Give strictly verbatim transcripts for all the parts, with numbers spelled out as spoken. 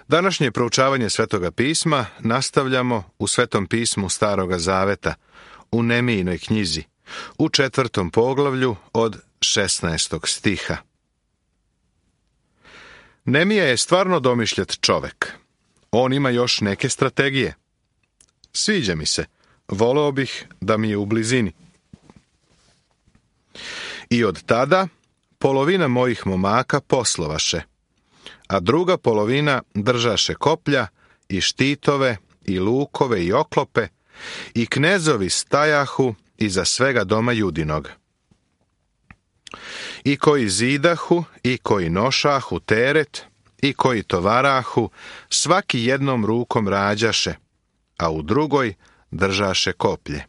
Današnje proučavanje Svetoga pisma nastavljamo u Svetom pismu Staroga Zaveta, u Nemijinoj knjizi, u četvrtom poglavlju od šesnaestog stiha. Nemija je stvarno domišljat čovek. On ima još neke strategije. Sviđa mi se, voleo bih da mi je u blizini. I od tada polovina mojih momaka poslovaše, a druga polovina držaše koplja i štitove i lukove i oklope, i knezovi stajahu iza svega doma Judinog. I koji zidahu, i koji nošahu teret, i koji tovarahu, svaki jednom rukom rađaše, a u drugoj držaše koplje.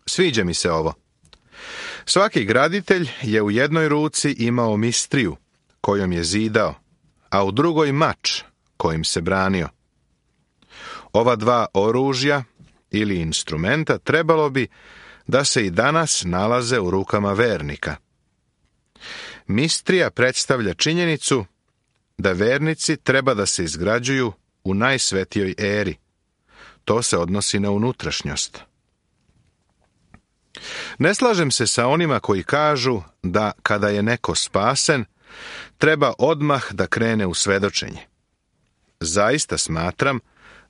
Sviđa mi se ovo. Svaki graditelj je u jednoj ruci imao mistriju, kojom je zidao, a u drugoj mač, kojim se branio. Ova dva oružja ili instrumenta trebalo bi da se i danas nalaze u rukama vernika. Mistrija predstavlja činjenicu da vernici treba da se izgrađuju u najsvetijoj eri. To se odnosi na unutrašnjost. Ne slažem se sa onima koji kažu da kada je neko spasen, treba odmah da krene u svedočenje. Zaista smatram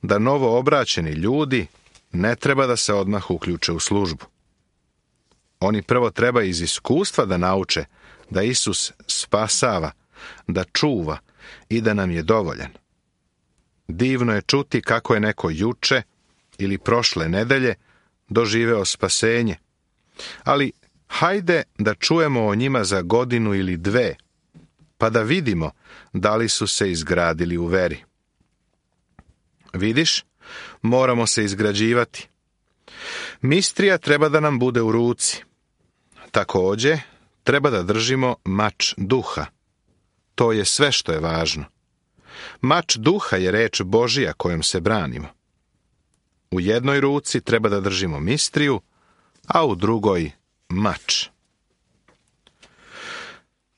da novoobraćeni ljudi ne treba da se odmah uključe u službu. Oni prvo treba iz iskustva da nauče da Isus spasava, da čuva i da nam je dovoljan. Divno je čuti kako je neko juče ili prošle nedelje doživeo spasenje, ali hajde da čujemo o njima za godinu ili dve, pa da vidimo da li su se izgradili u veri. Vidiš, moramo se izgrađivati. Mistrija treba da nam bude u ruci. Također, treba da držimo mač duha. To je sve što je važno. Mač duha je reč Božija kojom se branimo. U jednoj ruci treba da držimo mistriju, a u drugoj mač.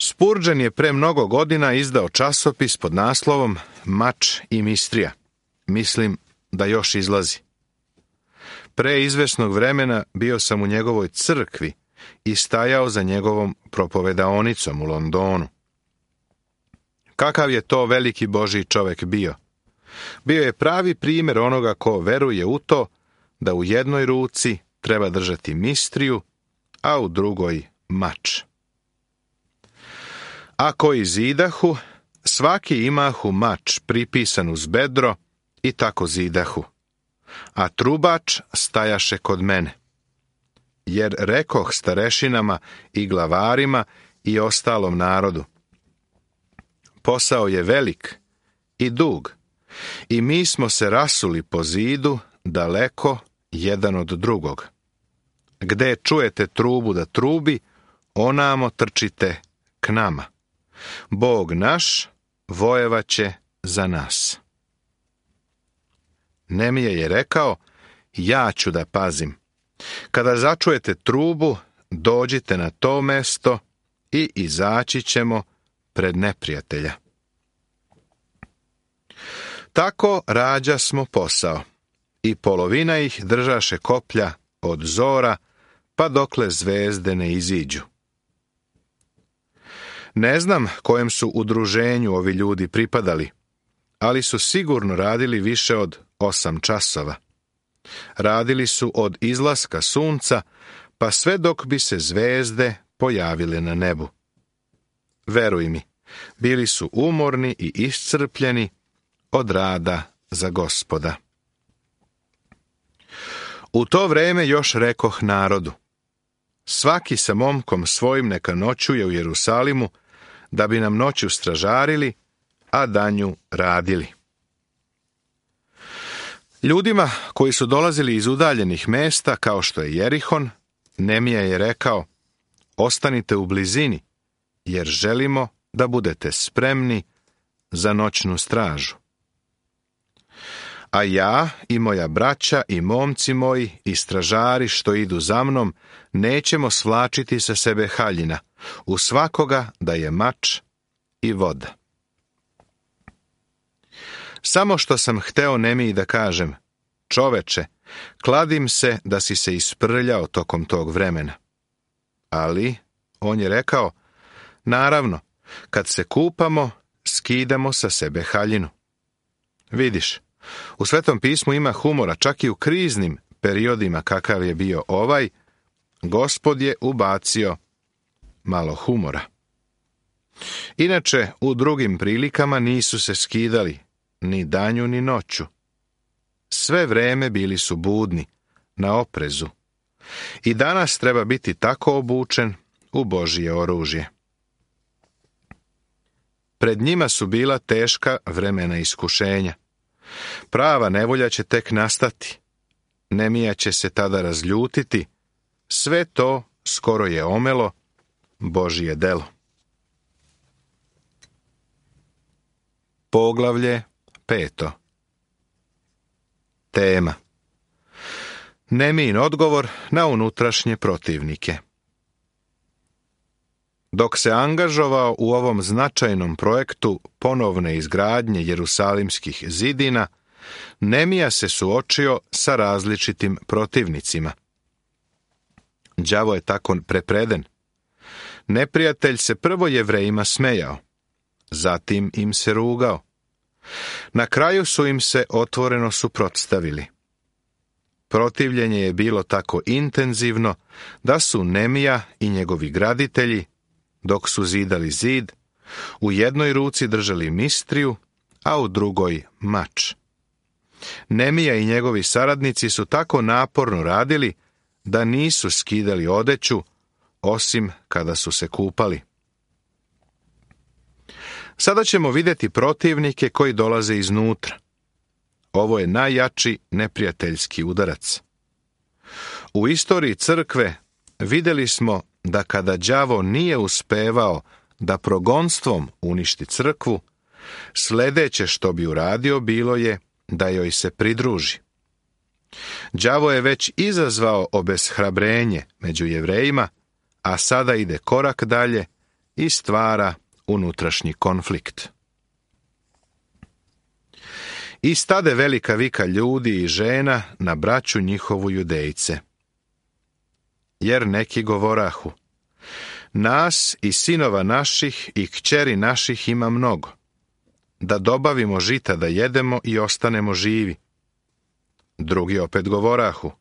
Spurgeon je pre mnogo godina izdao časopis pod naslovom Mač i mistrija. Mislim da još izlazi. Pre izvesnog vremena bio sam u njegovoj crkvi i stajao za njegovom propovedaonicom u Londonu. Kakav je to veliki Božji čovek bio? Bio je pravi primjer onoga ko veruje u to da u jednoj ruci treba držati mistriju, a u drugoj mač. A koji zidahu, svaki imahu mač pripisan uz bedro i tako zidahu, a trubač stajaše kod mene. Jer rekoh starešinama i glavarima i ostalom narodu: posao je velik i dug, i mi smo se rasuli po zidu daleko jedan od drugog. Gde čujete trubu da trubi, onamo trčite k nama. Bog naš vojevaće za nas. Nemija je rekao: ja ću da pazim. Kada začujete trubu, dođite na to mesto i izaći ćemo pred neprijatelja. Tako rađa smo posao, i polovina ih držaše koplja od zora, pa dokle zvezde ne iziđu. Ne znam kojem su udruženju ovi ljudi pripadali, ali su sigurno radili više od osam časova. Radili su od izlaska sunca, pa sve dok bi se zvezde pojavile na nebu. Veruj mi, bili su umorni i iscrpljeni od rada za Gospoda. U to vreme još rekoh narodu: svaki sa momkom svojim neka noćuje u Jerusalimu, da bi nam noću stražarili, a danju radili. Ljudima koji su dolazili iz udaljenih mesta, kao što je Jerihon, Nemija je rekao: ostanite u blizini, jer želimo da budete spremni za noćnu stražu. A ja i moja braća i momci moji i stražari što idu za mnom nećemo svlačiti sa sebe haljina, u svakoga da je mač i voda. Samo što sam hteo Nemiji da kažem, čoveče, kladim se da si se isprljao tokom tog vremena. Ali, on je rekao, naravno, kad se kupamo, skidamo sa sebe haljinu. Vidiš, u Svetom pismu ima humora, čak i u kriznim periodima kakav je bio ovaj, Gospod je ubacio malo humora. Inače, u drugim prilikama nisu se skidali, ni danju ni noću. Sve vreme bili su budni, na oprezu. I danas treba biti tako obučen u Božje oružje. Pred njima su bila teška vremena iskušenja. Prava nevolja će tek nastati. Nemija će se tada razljutiti. Sve to skoro je omelo Božje delo. Poglavlje peto. Tema. Nemijin odgovor na unutrašnje protivnike. Dok se angažovao u ovom značajnom projektu ponovne izgradnje jerusalimskih zidina, Nemija se suočio sa različitim protivnicima. Đavo je tako prepreden. Neprijatelj se prvo Jevrejima smejao, zatim im se rugao. Na kraju su im se otvoreno suprotstavili. Protivljenje je bilo tako intenzivno da su Nemija i njegovi graditelji, dok su zidali zid, u jednoj ruci držali mistriju, a u drugoj mač. Nemija i njegovi saradnici su tako naporno radili da nisu skidali odeću, osim kada su se kupali. Sada ćemo vidjeti protivnike koji dolaze iznutra. Ovo je najjači neprijateljski udarac. U istoriji crkve vidjeli smo da kada đavo nije uspevao da progonstvom uništi crkvu, sljedeće što bi uradio bilo je da joj se pridruži. Đavo je već izazvao obeshrabrenje među Jevrejima, a sada ide korak dalje i stvara unutrašnji konflikt. I stade velika vika ljudi i žena na braću njihovu Judejce. Jer neki govorahu, nas i sinova naših i kćeri naših ima mnogo, da dobavimo žita da jedemo i ostanemo živi. Drugi opet govorahu,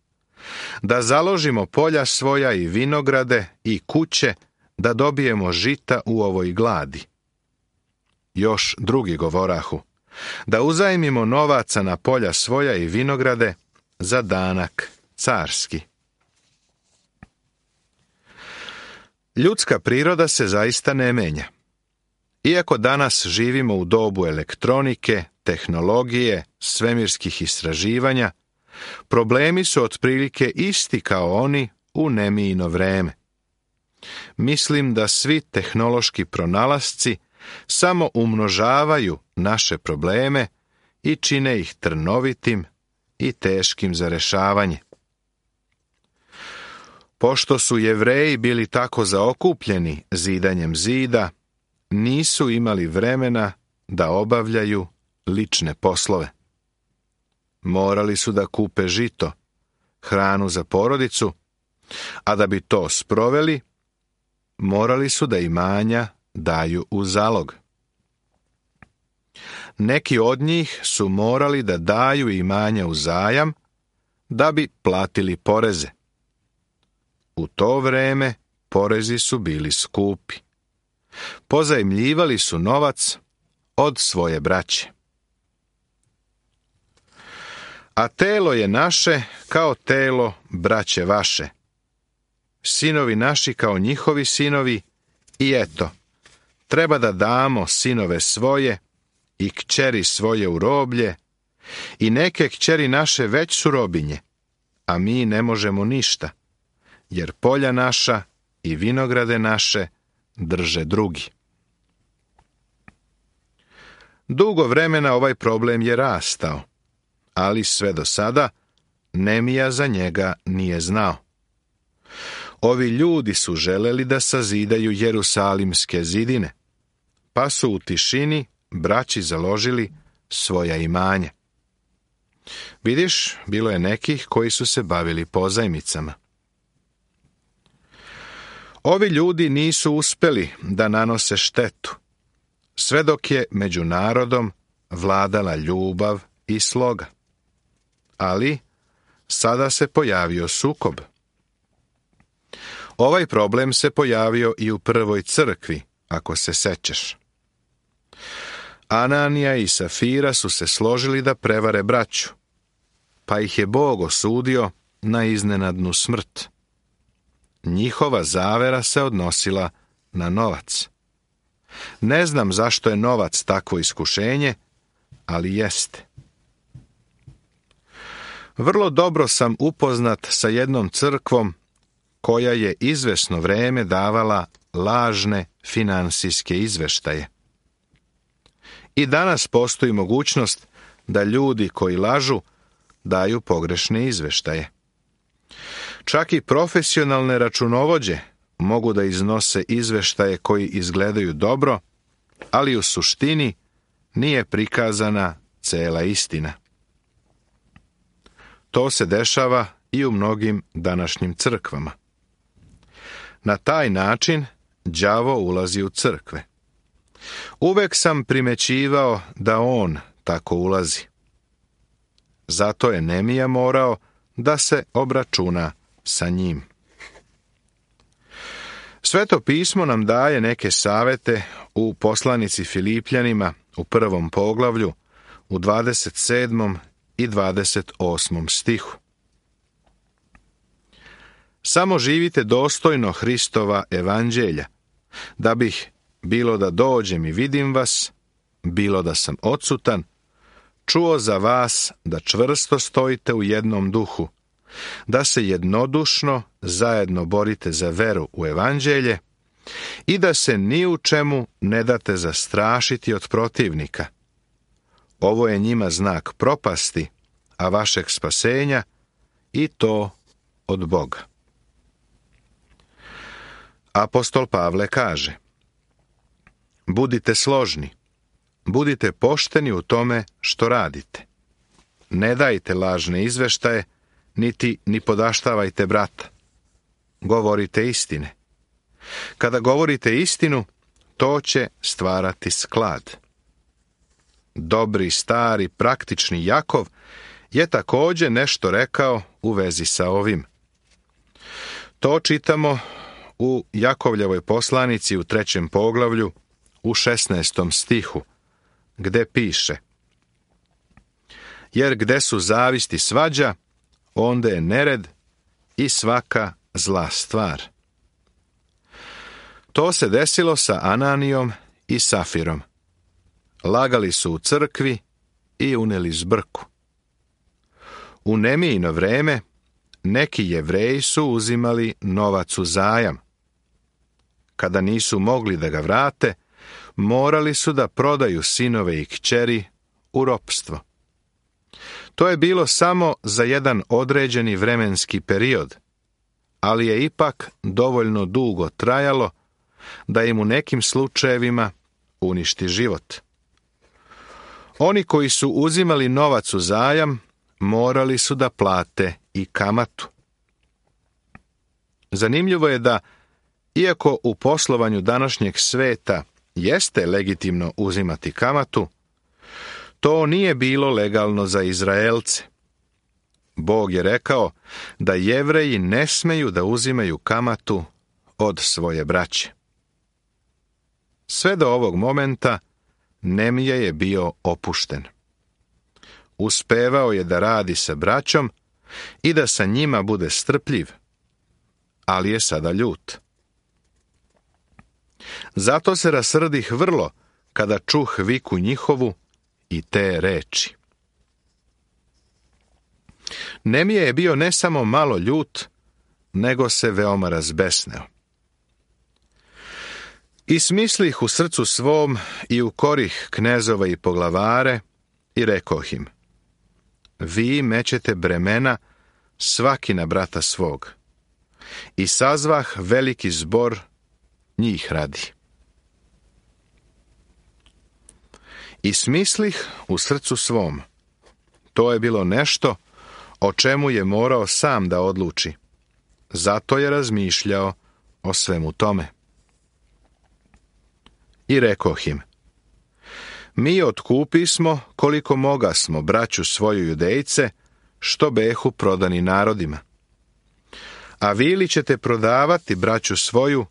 da založimo polja svoja i vinograde i kuće, da dobijemo žita u ovoj gladi. Još drugi govorahu, da uzajmimo novaca na polja svoja i vinograde za danak carski. Ljudska priroda se zaista ne menja. Iako danas živimo u dobu elektronike, tehnologije, svemirskih istraživanja, problemi su otprilike isti kao oni u Nemijino vreme. Mislim da svi tehnološki pronalasci samo umnožavaju naše probleme i čine ih trnovitim i teškim za rješavanje. Pošto su Jevreji bili tako zaokupljeni zidanjem zida, nisu imali vremena da obavljaju lične poslove. Morali su da kupe žito, hranu za porodicu, a da bi to sproveli, morali su da imanja daju u zalog. Neki od njih su morali da daju imanja u zajam da bi platili poreze. U to vreme porezi su bili skupi. Pozajmljivali su novac od svoje braće. A telo je naše kao telo braće vaše. Sinovi naši kao njihovi sinovi i eto, treba da damo sinove svoje i kćeri svoje u roblje i neke kćeri naše već su robinje, a mi ne možemo ništa, jer polja naša i vinograde naše drže drugi. Dugo vremena ovaj problem je rastao, ali sve do sada Nemija za njega nije znao. Ovi ljudi su želeli da sazidaju jerusalimske zidine, pa su u tišini braći založili svoja imanja. Vidiš, bilo je nekih koji su se bavili pozajmicama. Ovi ljudi nisu uspjeli da nanose štetu, sve dok je među narodom vladala ljubav i sloga. Ali sada se pojavio sukob. Ovaj problem se pojavio i u prvoj crkvi, ako se sećaš. Ananija i Safira su se složili da prevare braću, pa ih je Bog osudio na iznenadnu smrt. Njihova zavera se odnosila na novac. Ne znam zašto je novac takvo iskušenje, ali jeste. Vrlo dobro sam upoznat sa jednom crkvom koja je izvesno vreme davala lažne finansijske izveštaje. I danas postoji mogućnost da ljudi koji lažu daju pogrešne izveštaje. Čak i profesionalne računovođe mogu da iznose izveštaje koji izgledaju dobro, ali u suštini nije prikazana cela istina. To se dešava i u mnogim današnjim crkvama. Na taj način đavo ulazi u crkve. Uvek sam primećivao da on tako ulazi. Zato je Nemija morao da se obračuna sa njim. Sveto pismo nam daje neke savete u poslanici Filipljanima u prvom poglavlju u dvadeset sedmom i dvadeset osmom stihu. Samo živite dostojno Hristova evanđelja, da bih, bilo da dođem i vidim vas, bilo da sam odsutan, čuo za vas da čvrsto stojite u jednom duhu, da se jednodušno zajedno borite za veru u evanđelje i da se ni u čemu ne date zastrašiti od protivnika. Ovo je njima znak propasti, a vašeg spasenja, i to od Boga. Apostol Pavle kaže: budite složni, budite pošteni u tome što radite. Ne dajte lažne izveštaje, niti ni podaštavajte brata. Govorite istine. Kada govorite istinu, to će stvarati sklad. Dobri, stari, praktični Jakov je također nešto rekao u vezi sa ovim. To čitamo u Jakovljevoj poslanici u trećem poglavlju u šesnaestom stihu, gde piše: jer gde su zavist i svađa, onda je nered i svaka zla stvar. To se desilo sa Ananijom i Safirom. Lagali su u crkvi i uneli zbrku. U Nemijino vreme neki Jevreji su uzimali novac u zajam. Kada nisu mogli da ga vrate, morali su da prodaju sinove i kćeri u ropstvo. To je bilo samo za jedan određeni vremenski period, ali je ipak dovoljno dugo trajalo da im u nekim slučajevima uništi život. Oni koji su uzimali novac u zajam morali su da plate i kamatu. Zanimljivo je da, iako u poslovanju današnjeg sveta jeste legitimno uzimati kamatu, to nije bilo legalno za Izraelce. Bog je rekao da Jevreji ne smeju da uzimaju kamatu od svoje braće. Sve do ovog momenta Nemija je bio opušten. Uspevao je da radi sa braćom i da sa njima bude strpljiv, ali je sada ljut. Zato se rasrdih vrlo kada čuh viku njihovu i te reči. Nemija je bio ne samo malo ljut, nego se veoma razbesneo. I smislih u srcu svom i u korih knezova i poglavare i rekoh im: vi mećete bremena svaki na brata svog. I sazvah veliki zbor njih radi. I smislih u srcu svom. To je bilo nešto o čemu je morao sam da odluči. Zato je razmišljao o svemu tome. I rekoh im: Mi otkupismo koliko mogasmo braću svoju Judejce, što behu prodani narodima. A vi li ćete prodavati braću svoju,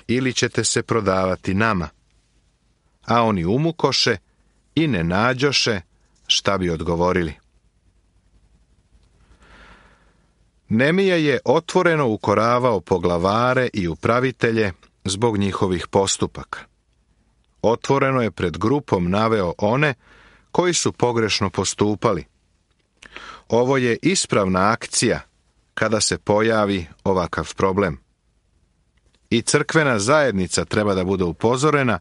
ili ćete se prodavati nama? A oni umukoše i ne nađoše šta bi odgovorili. Nemija je otvoreno ukoravao poglavare i upravitelje zbog njihovih postupaka. Otvoreno je pred grupom naveo one koji su pogrešno postupali. Ovo je ispravna akcija kada se pojavi ovakav problem. I crkvena zajednica treba da bude upozorena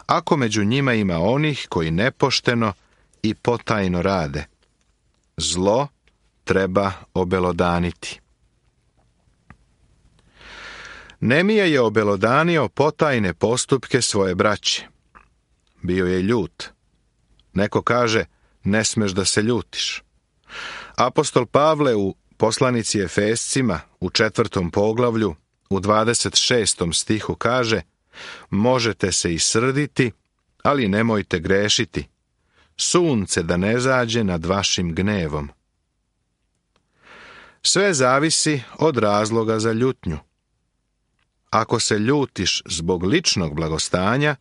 ako među njima ima onih koji nepošteno i potajno rade. Zlo treba obelodaniti. Nemija je obelodanio potajne postupke svoje braće. Bio je ljut. Neko kaže, ne smeš da se ljutiš. Apostol Pavle u poslanici Efescima u četvrtom poglavlju u dvadeset šestom stihu kaže: Možete se i srditi, ali nemojte grešiti. Sunce da ne zađe nad vašim gnevom. Sve zavisi od razloga za ljutnju. Ako se ljutiš zbog ličnog blagostanja,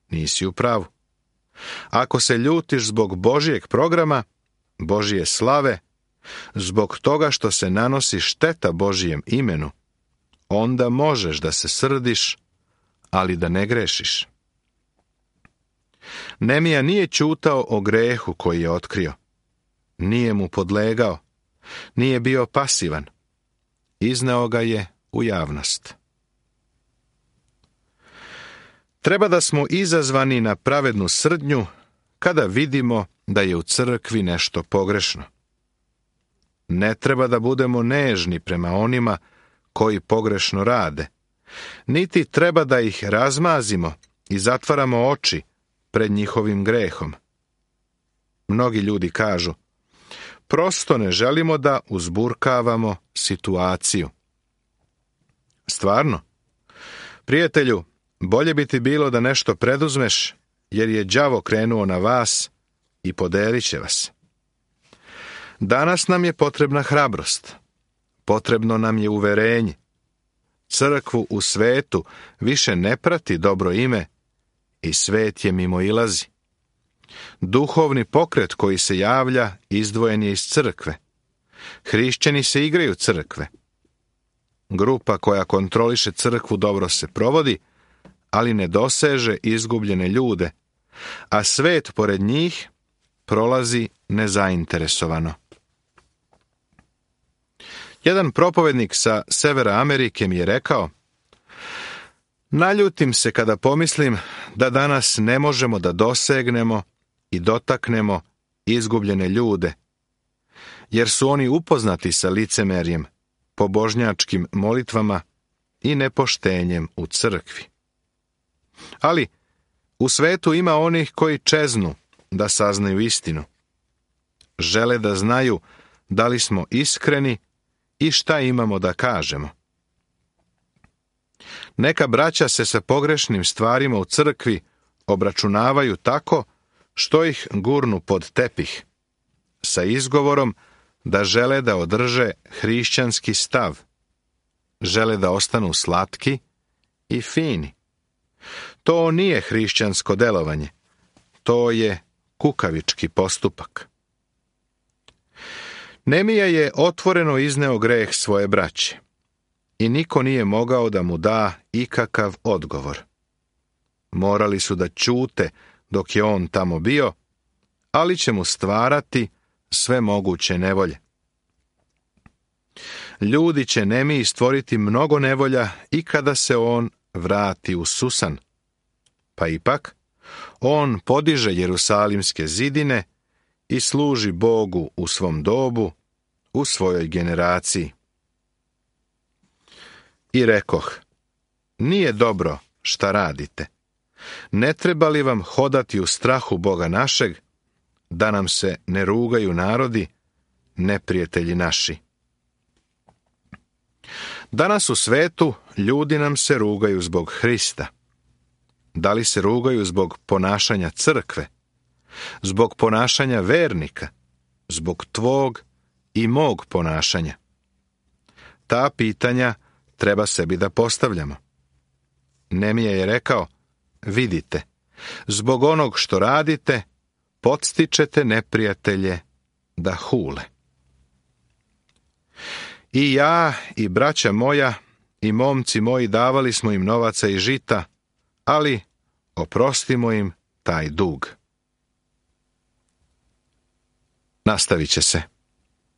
nisi u pravu. Ako se ljutiš zbog Božijeg programa, Božije slave, zbog toga što se nanosi šteta Božijem imenu, onda možeš da se srdiš, ali da ne grešiš. Nemija nije ćutao o grehu koji je otkrio. Nije mu podlegao. Nije bio pasivan. Izneo ga je u javnost. Treba da smo izazvani na pravednu srdnju kada vidimo da je u crkvi nešto pogrešno. Ne treba da budemo nežni prema onima koji pogrešno rade, niti treba da ih razmazimo i zatvaramo oči pred njihovim grehom. Mnogi ljudi kažu: prosto ne želimo da uzburkavamo situaciju. Stvarno? Prijatelju, bolje bi ti bilo da nešto preduzmeš, jer je đavo krenuo na vas i podelit će vas. Danas nam je potrebna hrabrost. Potrebno nam je uverenje. Crkvu u svetu više ne prati dobro ime i svet je mimoilazi. Duhovni pokret koji se javlja izdvojen je iz crkve. Hrišćani se igraju crkve. Grupa koja kontroliše crkvu dobro se provodi, ali ne doseže izgubljene ljude, a svet pored njih prolazi nezainteresovano. Jedan propovednik sa severa Amerike mi je rekao: naljutim se kada pomislim da danas ne možemo da dosegnemo i dotaknemo izgubljene ljude, jer su oni upoznati sa licemerjem, pobožnjačkim molitvama i nepoštenjem u crkvi. Ali u svetu ima onih koji čeznu da saznaju istinu. Žele da znaju da li smo iskreni i šta imamo da kažemo. Neka braća se sa pogrešnim stvarima u crkvi obračunavaju tako što ih gurnu pod tepih, sa izgovorom da žele da održe hrišćanski stav. Žele da ostanu slatki i fini. To nije hrišćansko delovanje. To je kukavički postupak. Nemija je otvoreno izneo greh svoje braće i niko nije mogao da mu da ikakav odgovor. Morali su da ćute dok je on tamo bio, ali će mu stvarati sve moguće nevolje. Ljudi će Nemiji stvoriti mnogo nevolja i kada se on vrati u Susan. Pa ipak, on podiže Jerusalimske zidine i služi Bogu u svom dobu, u svojoj generaciji. I rekoh: nije dobro šta radite. Ne treba li vam hodati u strahu Boga našeg, da nam se ne rugaju narodi, neprijatelji naši? Danas u svetu ljudi nam se rugaju zbog Hrista. Da li se rugaju zbog ponašanja crkve, zbog ponašanja vernika, zbog tvog i mog ponašanja? Ta pitanja treba sebi da postavljamo. Nemija je rekao, vidite, zbog onog što radite, podstičete neprijatelje da hule. I ja i braća moja i momci moji davali smo im novaca i žita, ali oprostimo im taj dug. Nastavit će se.